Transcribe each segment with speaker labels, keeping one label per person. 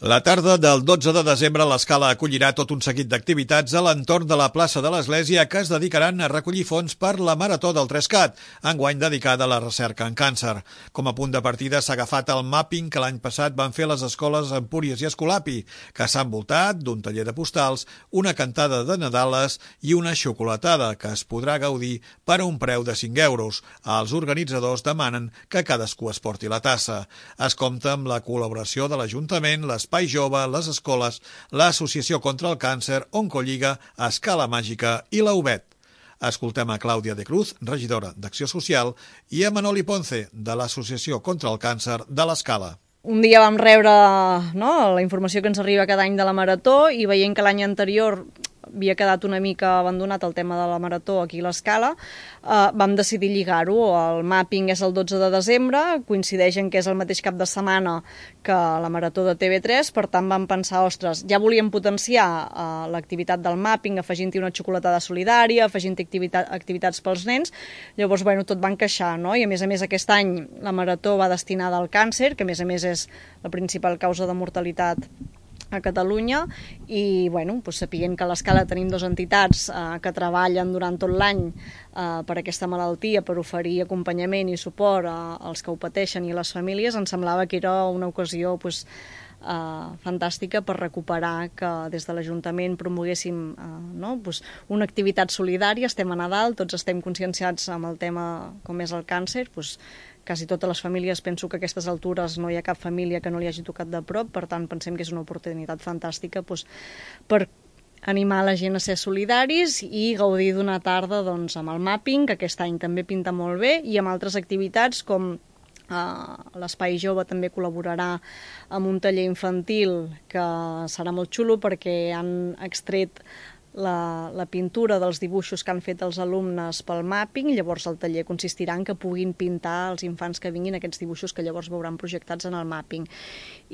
Speaker 1: La tarda del 12 de desembre l'Escala acollirà tot un seguit d'activitats a l'entorn de la plaça de l'Església que es dedicaran a recollir fons per la Marató del 3CAT, enguany dedicada a la recerca en càncer. Com a punt de partida s'ha agafat el mapping que l'any passat van fer les escoles Empúries i Escolapi, que s'ha envoltat d'un taller de postals, una cantada de Nadales i una xocolatada que es podrà gaudir per a un preu de 5 euros. Els organitzadors demanen que cadascú es porti la tassa. Es compta amb la col·laboració de l'Ajuntament, l'Espai Jove, les escoles, l'Associació contra el Càncer, Oncolliga, Escala Màgica i la UBET. Escoltem a Clàudia de Cruz, regidora d'Acció Social, i a Manoli Ponce, de l'Associació contra el Càncer de l'Escala.
Speaker 2: Un dia vam rebre la informació que ens arriba cada any de la Marató i veient que l'any anterior havia quedat una mica abandonat el tema de la Marató aquí a l'Escala, vam decidir lligar-ho. El mapping és el 12 de desembre, coincideix en que és el mateix cap de setmana que la Marató de TV3, per tant vam pensar, ostres, ja volíem potenciar l'activitat del mapping, afegint-hi una xocolatada solidària, afegint-hi activitats pels nens, llavors, tot va encaixar, no? I a més aquest any la Marató va destinada al càncer, que a més és la principal causa de mortalitat a Catalunya, i sapient que a l'Escala tenim dues entitats que treballen durant tot l'any per aquesta malaltia, per oferir acompanyament i suport als que ho pateixen i a les famílies, ens semblava que era una ocasió fantàstica per recuperar que des de l'Ajuntament promoguéssim una activitat solidària. Estem a Nadal, tots estem conscienciats amb el tema com és el càncer, quasi totes les famílies, penso que a aquestes altures no hi ha cap família que no li hagi tocat de prop, per tant pensem que és una oportunitat fantàstica per animar la gent a ser solidaris i gaudir d'una tarda amb el mapping, que aquest any també pinta molt bé, i amb altres activitats com l'Espai Jove també col·laborarà amb un taller infantil que serà molt xulo perquè han extret la pintura dels dibuixos que han fet els alumnes pel mapping. Llavors el taller consistirà en que puguin pintar els infants que vinguin aquests dibuixos que llavors veuran projectats en el mapping.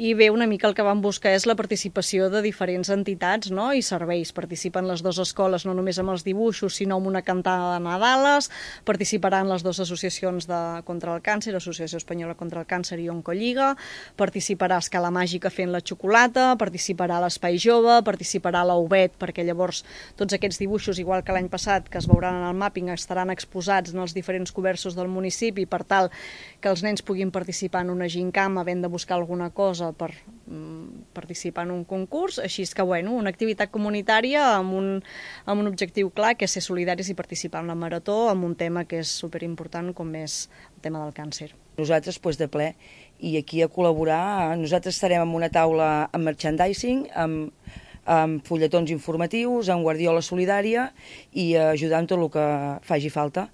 Speaker 2: I bé, una mica el que vam buscar és la participació de diferents entitats i serveis. Participen les dues escoles no només amb els dibuixos, sinó amb una cantada de Nadales, participaran les dues associacions contra el càncer, Associació Espanyola contra el Càncer i Oncolliga, participarà Escala Màgica fent la xocolata, participarà l'Espai Jove, participarà la UBET, perquè llavors tots aquests dibuixos, igual que l'any passat, que es veuran en el mapping, estaran exposats en els diferents comerços del municipi per tal que els nens puguin participar en una gincama havent de buscar alguna cosa per participar en un concurs. Així és que, una activitat comunitària amb un objectiu clar, que és ser solidaris i participar en la Marató amb un tema que és superimportant com és el tema del càncer.
Speaker 3: Nosaltres, de ple, i aquí a col·laborar, nosaltres estarem en una taula amb merchandising, amb fulletons informatius, amb guardiola solidària i ajudar amb tot el que faci falta.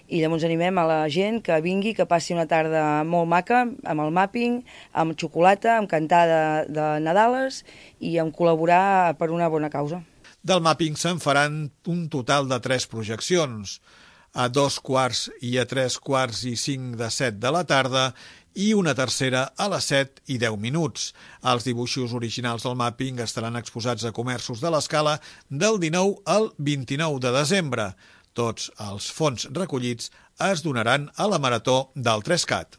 Speaker 3: I llavors animem a la gent que vingui, que passi una tarda molt maca, amb el mapping, amb xocolata, amb cantada de Nadales i amb col·laborar per una bona causa.
Speaker 1: Del mapping se'n faran un total de 3 projeccions, a 2:15 i a 3:45 de 7 de la tarda, i una tercera a les 7:10. Els dibuixos originals del mapping estaran exposats a comerços de l'Escala del 19 al 29 de desembre. Tots els fons recollits es donaran a la Marató del 3CAT.